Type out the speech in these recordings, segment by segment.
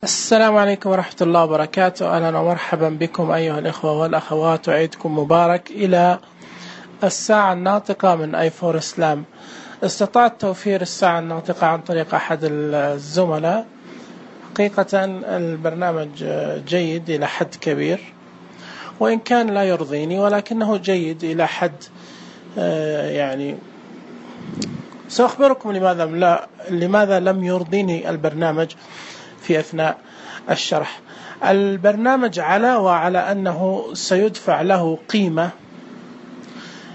السلام عليكم ورحمة الله وبركاته. أهلا ومرحبا بكم أيها الإخوة والأخوات، وعيدكم مبارك إلى الساعة الناطقة من اي4 اسلام. استطعت توفير الساعة الناطقة عن طريق أحد الزملاء. حقيقة البرنامج جيد إلى حد كبير، وإن كان لا يرضيني ولكنه جيد إلى حد يعني سأخبركم لماذا لم يرضيني البرنامج في أثناء الشرح. البرنامج وعلى أنه سيدفع له قيمة،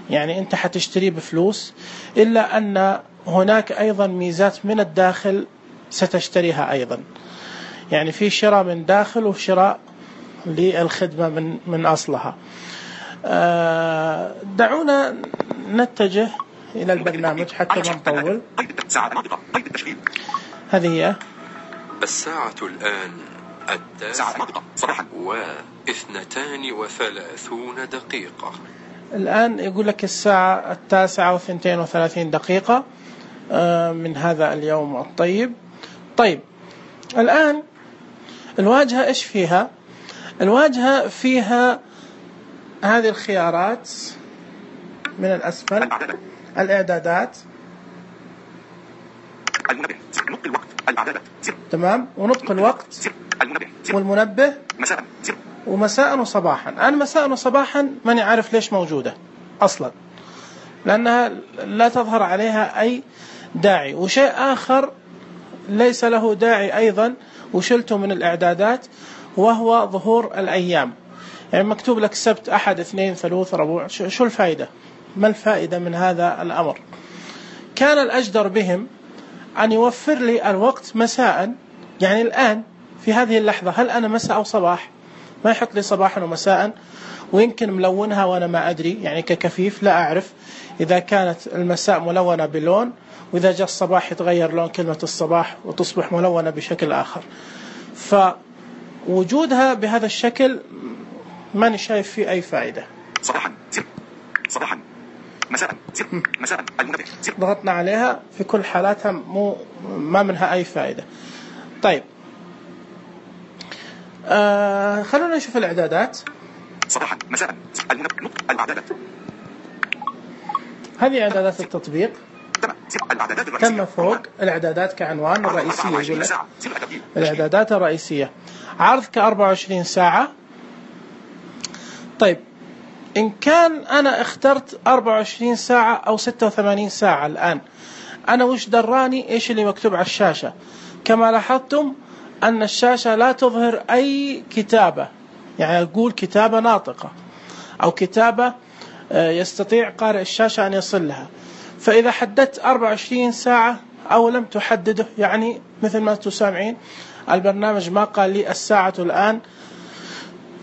يعني أنت حتشتريه بفلوس، إلا أن هناك أيضا ميزات من الداخل ستشتريها أيضا، يعني في شراء من داخل وشراء للخدمة من أصلها. دعونا نتجه إلى البرنامج حتى ما نطول. هذه هي الساعة الآن 9:32. الآن يقول لك الساعة 9:32 من هذا اليوم الطيب. طيب، الآن الواجهة إيش فيها؟ الواجهة فيها هذه الخيارات من الأسفل: الإعدادات، تمام، ونطق الوقت، والمنبه، ومساء وصباحا. أنا مساء وصباحا ماني عارف ليش موجودة أصلا، لأنها لا تظهر عليها أي داعي. وشيء آخر ليس له داعي أيضا وشلته من الإعدادات، وهو ظهور الأيام. يعني مكتوب لك سبت، أحد، اثنين، ثلاث، ربوع. شو الفائدة؟ ما الفائدة من هذا الأمر؟ كان الأجدر بهم أن يوفر لي الوقت مساء. يعني الآن في هذه اللحظة هل أنا مساء أو صباح؟ ما يحط لي صباحا ومساء، ويمكن ملونها وأنا ما أدري، يعني ككفيف لا أعرف إذا كانت المساء ملونة بلون، وإذا جاء الصباح يتغير لون كلمة الصباح وتصبح ملونة بشكل آخر. فوجودها بهذا الشكل ماني شايف فيه أي فائدة. صباحا مساء المنبه. ضغطنا عليها في كل حالاتها ما منها أي فائدة. طيب، خلونا نشوف الإعدادات. صباحا مساء الإعدادات. هذه إعدادات التطبيق. تم فوق الإعدادات كعنوان الرئيسية، يقول لك الإعدادات الرئيسية. عرض ك24 ساعة. طيب، إن كان أنا اخترت 24 ساعة أو 86 ساعة الآن، أنا وش دراني إيش اللي مكتوب على الشاشة؟ كما لاحظتم أن الشاشة لا تظهر أي كتابة، يعني أقول كتابة ناطقة أو كتابة يستطيع قارئ الشاشة أن يصل لها. فإذا حددت 24 ساعة أو لم تحدده، يعني مثل ما تسامعين البرنامج ما قال لي الساعة الآن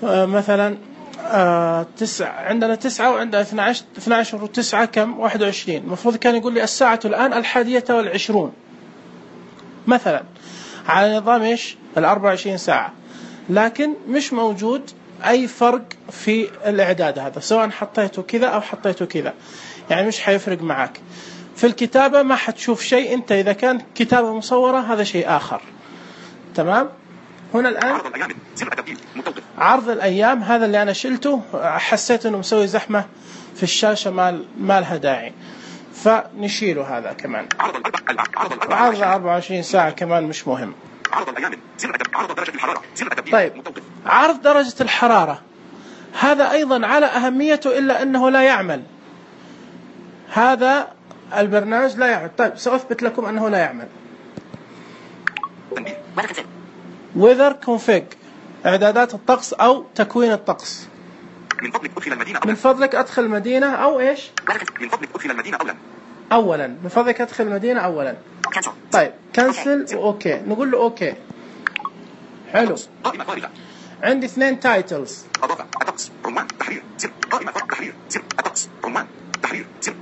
مثلا 9، عندنا 9 وعندنا 12 و9 كم 21. المفروض كان يقول لي الساعة الآن 11:20 مثلا، على نظام إيش 24 ساعة. لكن مش موجود أي فرق في الإعداد هذا، سواء حطيته كذا أو حطيته كذا، يعني مش حيفرق معك في الكتابة. ما حتشوف شيء أنت إذا كان كتابة مصورة، هذا شيء آخر. تمام. هنا الآن عرض الأيام، هذا اللي أنا شلته، حسيت أنه مسوي زحمة في الشاشة ما لها داعي، فنشيله هذا كمان. عرض 24 ساعة كمان مش مهم. طيب، عرض درجة الحرارة، هذا أيضا على أهميته، إلا أنه لا يعمل. هذا البرنامج لا يعمل. طيب، سأثبت لكم أنه لا يعمل. weather config، إعدادات الطقس أو تكوين الطقس. من فضلك أدخل المدينة أو إيش؟ أولا. من فضلك أدخل المدينة أولا. طيب، كنسل وأوكي. نقول له أوكي. حلو. عندي 2 تايتلز.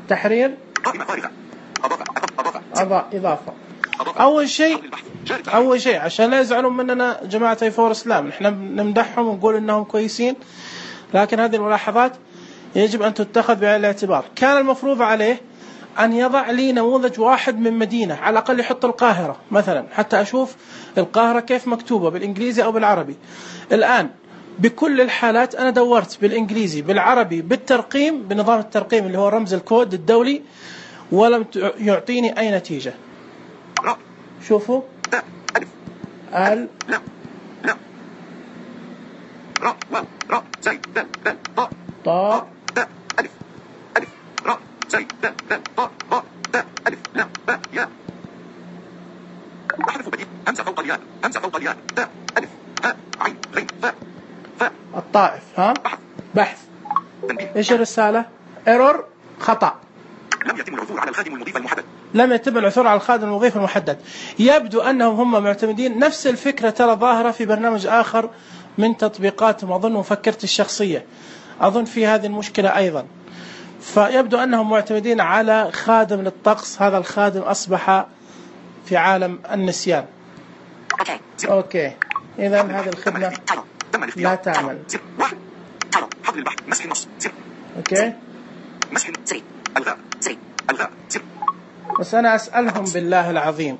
تحرير. إضافة. أول شيء عشان لا يزعلون مننا جماعة اي4 اسلام، نحن نمدحهم ونقول إنهم كويسين، لكن هذه الملاحظات يجب أن تتخذ بعين الاعتبار. كان المفروض عليه أن يضع لي نموذج واحد من مدينة، على الأقل يحط القاهرة مثلا حتى أشوف القاهرة كيف مكتوبة بالإنجليزي أو بالعربي. الآن بكل الحالات أنا دورت بالإنجليزي بالعربي بالترقيم بنظام الترقيم اللي هو رمز الكود الدولي، ولم يعطيني أي نتيجة. شوفوا ال لا لا را را زي دا دا طا طاء دا ألف ألف را زي دا دا طا طا دا ألف لا باء ياء. وحرف بديل همزة فوق الياء همزة فوق الياء دا ألف هاء عين غين فاء فاء. الطائف ها بحث. إيش الرسالة؟ ايرور خطأ. لم يتم العثور على الخادم المضيف المحدد. لم يتم العثور على الخادم المضيف المحدد. يبدو أنهم هم معتمدين نفس الفكرة، ترى ظاهرة في برنامج آخر من تطبيقاتهم، أظن مفكرة الشخصية، أظن في هذه المشكلة أيضا. فيبدو أنهم معتمدين على خادم للطقس، هذا الخادم أصبح في عالم النسيان. أوكي إذا هذه الخدمة لا تعمل. حظر البحث مسح النص. أوكي مسح الغاء الغاء. بس أنا أسألهم بالله العظيم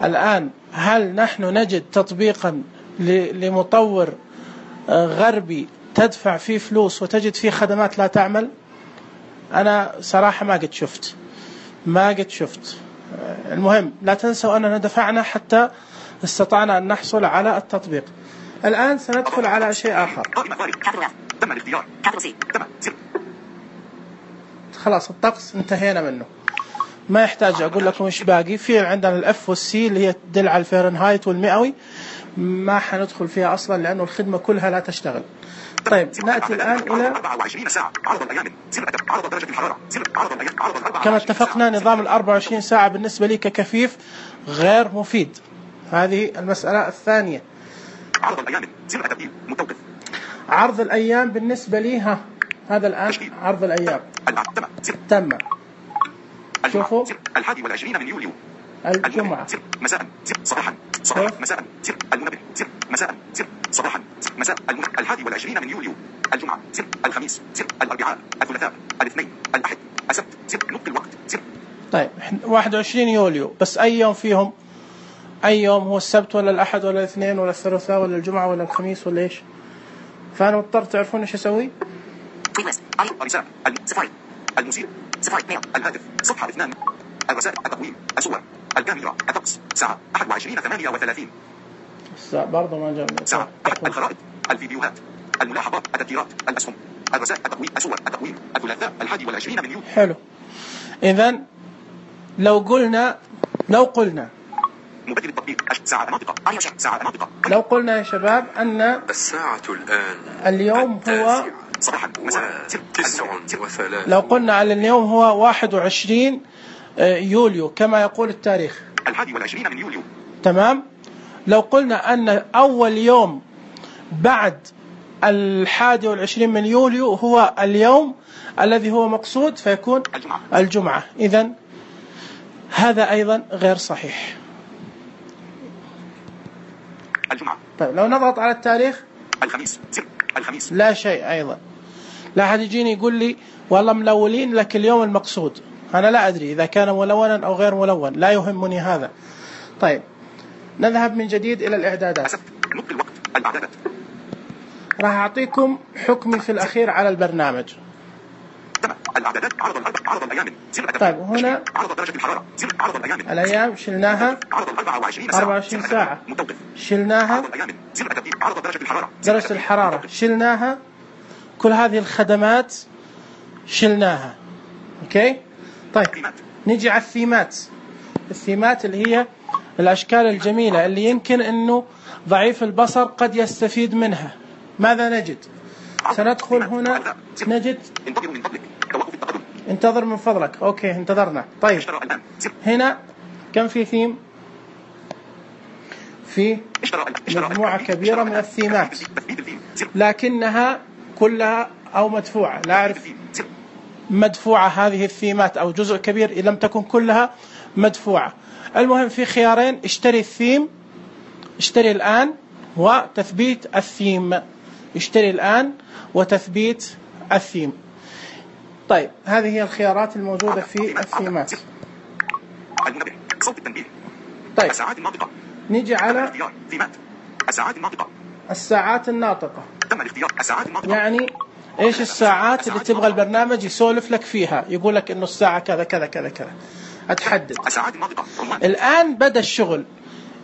الآن، هل نحن نجد تطبيقا لمطور غربي تدفع فيه فلوس وتجد فيه خدمات لا تعمل؟ أنا صراحة ما قد شفت. المهم لا تنسوا أننا دفعنا حتى استطعنا أن نحصل على التطبيق. الآن سندخل على شيء آخر. خلاص الطقس انتهينا منه، ما يحتاج أقول لكم إيش باقي. في عندنا الأف والسي اللي هي تدل على الفahrenheit والمئوي، ما حندخل فيها أصلا لأنه الخدمة كلها لا تشتغل. طيب نأتي الآن إلى 24 ساعة عرض الأيام عرض درجة الحرارة عرض الأيام كما اتفقنا. نظام ال 24 ساعة بالنسبة لي ككفيف غير مفيد، هذه المسألة الثانية. عرض الأيام تبديل متوقف. عرض الأيام بالنسبة لي هذا الآن عرض الأيام تم. شوفوا 21 من يوليو الجمعة مساء صباحا مساء المنبه مساء صباحا مساء المنبه 21 من يوليو الجمعة الخميس الأربعاء الثلاثاء الاثنين الأحد السبت نطق الوقت. طيب 21 يوليو، بس أي يوم فيهم؟ أي يوم هو؟ السبت ولا الأحد ولا الاثنين ولا الثلاثاء ولا الجمعة ولا الخميس ولا إيش؟ فأنا مضطر تعرفون إيش أسوي؟ المسير الهاتف صفحة 2 الرسائل التقويم الصور الكاميرا الطقس ساعة 21:38 برضه ما جاء ساعة الخرائط الفيديوهات الملاحظات التذكيرات الأسهم الرسائل التقويم الصور التقويم الثلاثاء 21 من يوليو. حلو. إذن لو قلنا مبدل التطبيق ساعة منطقة لو قلنا يا شباب أن الساعة الآن اليوم هو صباحا مساء 9:03. لو قلنا على اليوم هو 21 يوليو كما يقول التاريخ 21 من يوليو، تمام. لو قلنا أن أول يوم بعد 21 من يوليو هو اليوم الذي هو مقصود فيكون الجمعة. إذن هذا أيضا غير صحيح. الجمعة. طيب لو نضغط على التاريخ الخميس لا شيء أيضا. لا أحد يجيني يقول لي والله ملولين لك اليوم المقصود، أنا لا أدري إذا كان ملونا أو غير ملون، لا يهمني هذا. طيب نذهب من جديد إلى الإعدادات. نطق الوقت الإعدادات. راح أعطيكم حكمي في الأخير على البرنامج. الإعدادات عرض الأيام. طيب هنا عرض درجة الحرارة عرض الأيام. الأيام شلناها. عرض 24 ساعة شلناها. عرض درجة الحرارة. درجة الحرارة شلناها. كل هذه الخدمات شلناها. أوكي. طيب نجي على الثيمات اللي هي الأشكال الجميلة اللي يمكن أنه ضعيف البصر قد يستفيد منها. ماذا نجد؟ سندخل هنا نجد انتظر من فضلك. أوكي انتظرنا. طيب هنا كم في ثيم؟ في مجموعة كبيرة من الثيمات لكنها كلها أو مدفوعة. لا أعرف مدفوعة هذه الثيمات أو جزء كبير لم تكن كلها مدفوعة. المهم في خيارين: اشتري الثيم، اشتري الآن وتثبيت الثيم. اشتري الآن وتثبيت الثيم. طيب هذه هي الخيارات الموجودة في مات. المنبه، صوت التنبيه. طيب الساعات الناطقة. نيجي على الاختيار في مات. الساعات الناطقة. الساعات الناطقة. تم الاختيار. الساعات الناطقة. يعني ايش الساعات اللي تبغى البرنامج يسولف لك فيها، يقول لك انه الساعة كذا كذا كذا كذا، اتحدد. الساعات الناطقة. الآن بدأ الشغل،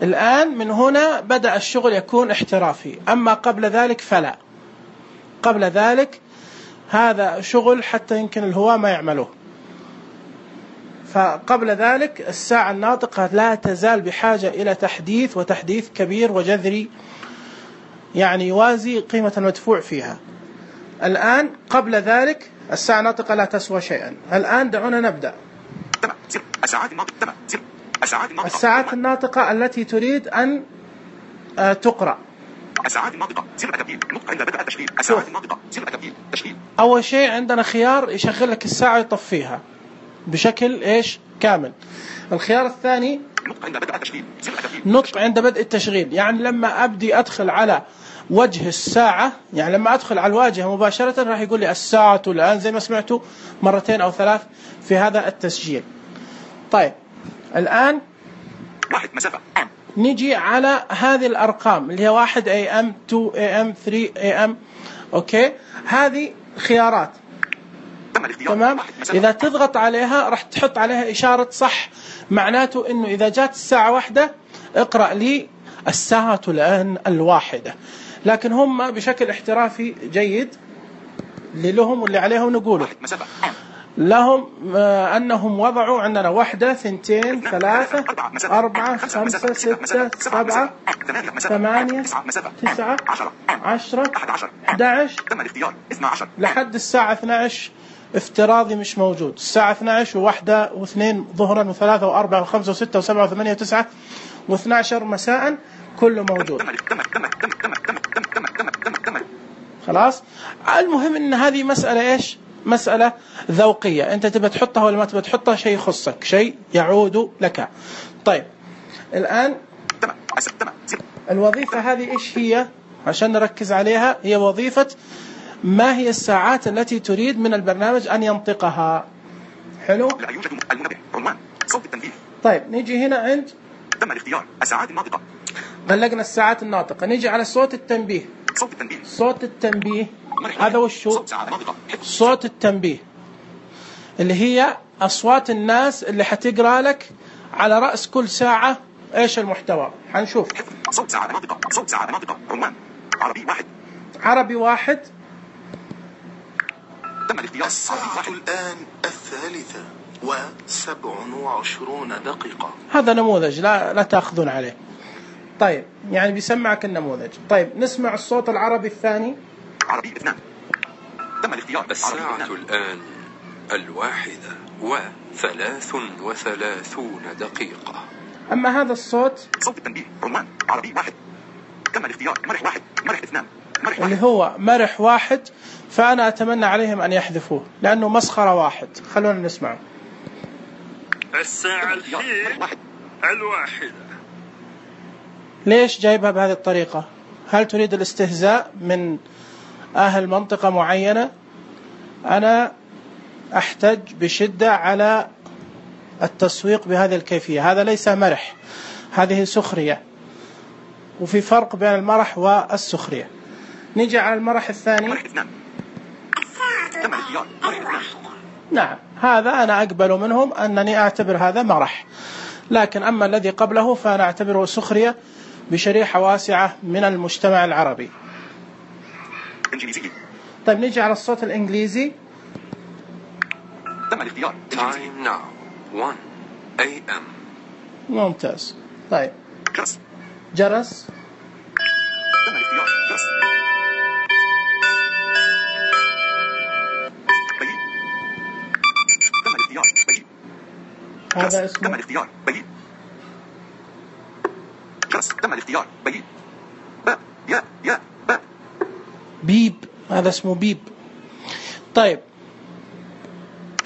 الآن من هنا بدأ الشغل يكون احترافي، أما قبل ذلك فلا. قبل ذلك هذا شغل حتى يمكن الهواة ما يعملوه. فقبل ذلك الساعة الناطقة لا تزال بحاجة إلى تحديث، وتحديث كبير وجذري، يعني يوازي قيمة المدفوع فيها. الآن قبل ذلك الساعة الناطقة لا تسوى شيئا. الآن دعونا نبدأ. الساعات الناطقة التي تريد أن تقرأ. الساعات الناطقة سر التبديل نطق عند بدء التشغيل. الساعات الناطقة سر التبديل تشغيل. أول شيء عندنا خيار يشغل لك الساعة ويطفيها بشكل إيش كامل. الخيار الثاني نطق عند بدء التشغيل. نطق عند بدء التشغيل، يعني لما أبدي أدخل على وجه الساعة، يعني لما أدخل على الواجهة مباشرة راح يقول لي الساعة الآن، زي ما سمعتوا مرتين أو ثلاث في هذا التسجيل. طيب الآن 1 مسافة. نيجي على هذه الأرقام اللي هي 1 AM 2 AM 3 AM. أوكي، هذه خيارات. تمام. إذا تضغط عليها راح تحط عليها إشارة صح، معناته إنه إذا جات الساعة 1 اقرأ لي الساعة الآن 1. لكن هم بشكل احترافي جيد اللي لهم واللي عليهم نقوله لهم أنهم وضعوا عندنا 1 2 3 4 5 6 7 8 9 10 11 لحد الساعة 12 افتراضي مش موجود. الساعة 12 و1 و2 ظهرا و3 و4 و5 و6 و7 و8 و9 و12 مساء كله موجود. خلاص. المهم ان هذه مسألة ايش؟ مسألة ذوقية، انت تبى تحطها ولا ما تبى تحطها، شيء يخصك، شيء يعود لك. طيب الآن الوظيفة هذه ايش هي عشان نركز عليها؟ هي وظيفة ما هي الساعات التي تريد من البرنامج أن ينطقها. حلو. لا يوجد المنبه عنوان صوت التنبيه. طيب نيجي هنا عند تم الاختيار الساعات الناطقة. غلقنا الساعات الناطقة. نيجي على صوت التنبيه. صوت التنبيه. صوت التنبيه هذا وشو؟ صوت التنبيه اللي هي أصوات الناس اللي حتقرأ لك على رأس كل ساعة إيش المحتوى. حنشوف. صوت ساعة ناطقة. صوت ساعة ناطقة. عنوان عربي 1. عربي 1. تم الاختيار. الساعة الآن 3:27 هذا نموذج لا تأخذون عليه. طيب يعني بيسمعك النموذج. طيب نسمع الصوت العربي الثاني. عربي 2. تم الاختيار. الساعة الآن 1:33. أما هذا الصوت صوت التنبيه عنوان عربي 1. تم الاختيار. مرح 1 مرح 2 مرح 1 اللي هو مرح 1. فأنا أتمنى عليهم أن يحذفوه لأنه مسخرة 1. خلونا نسمعه. الساعة الحين 1. ليش جايبها بهذه الطريقة؟ هل تريد الاستهزاء من أهل منطقة معينة؟ أنا أحتج بشدة على التسويق بهذه الكيفية. هذا ليس مرح، هذه سخرية، وفي فرق بين المرح والسخرية. نيجي على المرح الثاني. نعم هذا أنا أقبل منهم أنني أعتبر هذا مرح، لكن أما الذي قبله فأنا أعتبره سخرية بشريحة واسعة من المجتمع العربي. طيب نيجي على الصوت الإنجليزي. تم الاختيار. Time now 1 AM. ممتاز. طيب جرس. جرس. تم الاختيار. جرس. بيي. تم الاختيار. بيي. هذا اسمه. تم الاختيار. بيي. جرس. تم الاختيار. بيي. باب. يا باب. بيب. هذا اسمه بيب. طيب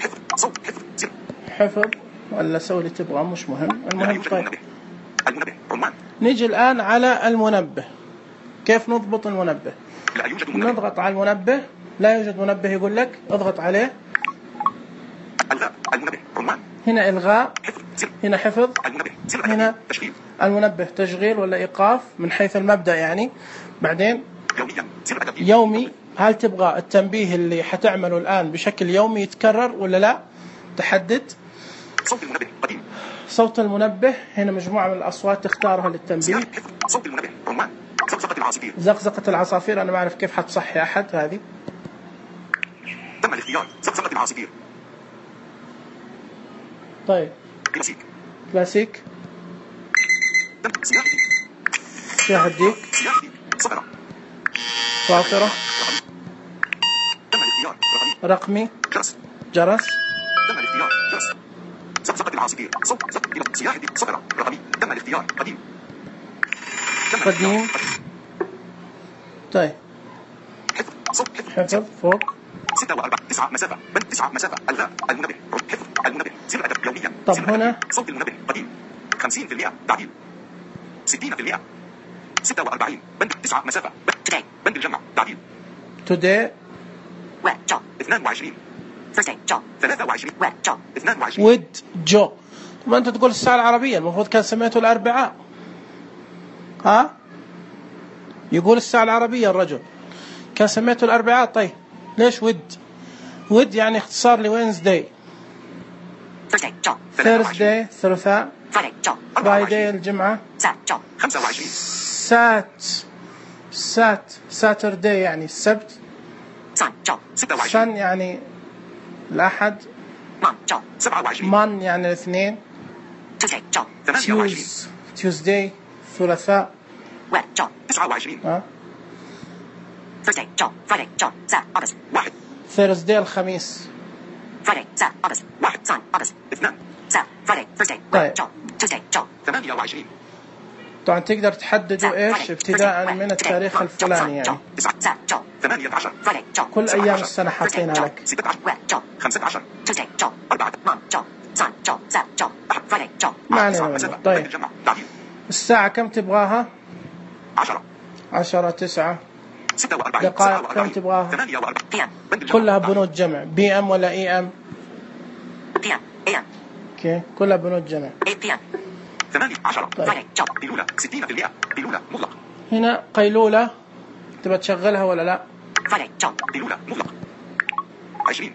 حفظ. صوت حفظ. سر. حفظ ولا سوي اللي تبغاه مش مهم. المهم طيب المنبه عنوان. نيجي الآن على المنبه. كيف نضبط المنبه؟ لا يوجد منبه. نضغط على المنبه. لا يوجد منبه يقول لك اضغط عليه الغاء المنبه عنوان. هنا إلغاء، حفظ زر. هنا حفظ، المنبه زر. هنا تشغيل. المنبه تشغيل ولا إيقاف من حيث المبدأ يعني. بعدين يوميا زر التنبيه. يومي، هل تبغى التنبيه اللي حتعمله الآن بشكل يومي يتكرر ولا لا؟ تحدد. صوت المنبه قديم. صوت المنبه، هنا مجموعة من الأصوات تختارها للتنبيه. حفظ صوت المنبه عنوان. زقزقة العصافير. زقزقة العصافير، أنا ما أعرف كيف حتصحي أحد هذه. تم الاختيار. زقزقة العصافير. طيب كلاسيك. كلاسيك، تم سياح الديك. سياح الديك، سياح الديك. صفرة. صافرة، تم الاختيار. رقمي. رقمي، جرس. جرس، تم الاختيار. جرس. زقزقة العصافير. صوت زق. سياح الديك. صفرة. رقمي. تم الاختيار. قديم. تم قديم. الاختيار. طيب حفظ. صوت حفظ. حفظ فوق. 6 و4 9 مسافة. بند 9 مسافة. الغاء المنبه. حفظ المنبه. زر الأدب يوميا. طب زر الأدب. هنا صوت المنبه قديم. 50% تعديل. 60%. 46 بند 9 مسافة. بند الجمع تعديل. today 22 23 22 with جو. ما أنت تقول الساعة العربية، المفروض كان سميته الأربعاء. ها؟ يقول الساعة العربية الرجل، كان سميته الأربعاء. طيب ليش ود يعني اختصار لوينزداي. ثيرزداي ثلاثاء، فرايداي الجمعة، 25 ساترداي يعني السبت، 26 سن يعني الأحد، 27 مان يعني الاثنين، 28 تيوزداي ثلاثاء، 29 ها، 1 ثيرزداي الخميس. 1 2 طيب 28 طبعا تقدر تحددوا ايش ابتداء من التاريخ الفلاني يعني 18 كل ايام السنة حاطينها لك. 16 15 4 ما علينا منه. طيب الساعة كم تبغاها؟ 10 9 دقائق كم تبغاها؟ كلها بنود جمع. بي ام ولا اي ام؟ اوكي كلها بنود جمع. 18 طيب. قيلولة 60% قيلولة مطلق. هنا قيلولة تبغى تشغلها ولا لا؟ قيلولة مطلق 20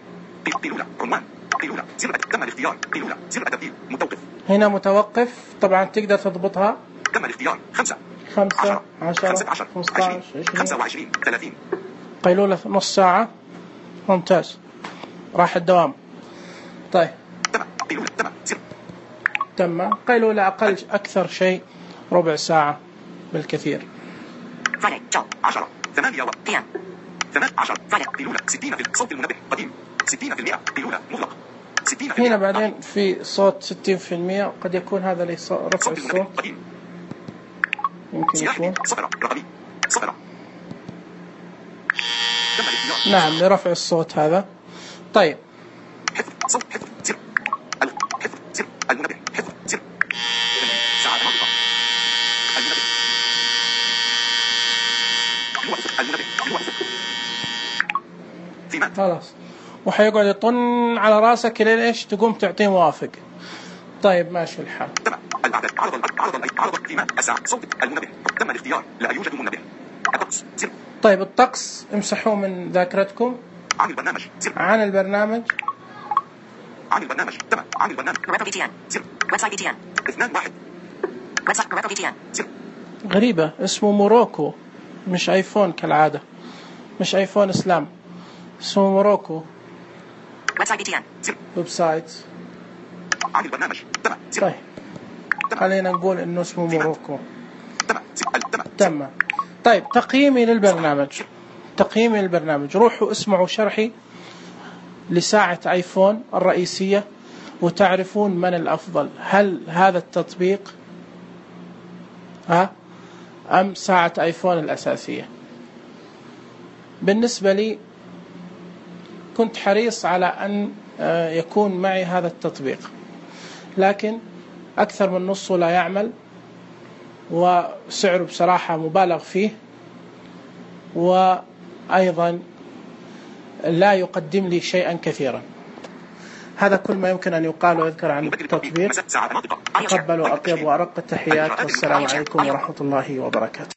قيلولة عنوان قيلولة زر تم الاختيار قيلولة زر التبديل متوقف. هنا متوقف، طبعا تقدر تضبطها. تم الاختيار 5 5 10 15 15 20 25 30 قيلولة نص ساعة. ممتاز، راح الدوام. طيب تم قيلولة تم زر تم. قيلولة أقل أكثر شيء ربع ساعة بالكثير. 10 8 18 قيلولة 60 في صوت المنبه قديم 60% قيلولة مطلق 60%. هنا بعدين في صوت 60%، قد يكون هذا رفع صوت الصوت، المنبه قديم يمكن يكون صفرة رقمي صفرة. تم الاختيار. نعم لرفع الصوت هذا. طيب حفظ صوت حفظ زر حفظ زر المنبه حفظ زر ساعة ناطقة المنبه الوقت المنبه الوقت في مات. خلاص، وحيقعد يطن على راسك لين ايش تقوم تعطيه موافق. طيب ماشي الحال. تم الأعداد عرض في مات الساعة صوت المنبه تم الاختيار لا يوجد منبه. الطقس زر. طيب الطقس امسحوه من ذاكرتكم. عن البرنامج زر عن البرنامج عن البرنامج تم عن البرنامج زر 2 1 زر غريبة، اسمه موروكو مش ايفون كالعادة، مش ايفون اسلام، اسمه موروكو زر ويب سايت. عن البرنامج تم زر طيب خلينا نقول انه اسمه موروكو. تم زر تم. طيب تقييمي للبرنامج، روحوا اسمعوا شرحي لساعة ايفون الرئيسية وتعرفون من الافضل، هل هذا التطبيق ام ساعة ايفون الاساسية. بالنسبة لي كنت حريص على ان يكون معي هذا التطبيق، لكن اكثر من نصه لا يعمل وسعره بصراحة مبالغ فيه، وأيضا لا يقدم لي شيئا كثيرا. هذا كل ما يمكن أن يقال ويذكر عن التطبيق. تقبلوا أطيب وأرق التحيات، والسلام عليكم ورحمة الله وبركاته.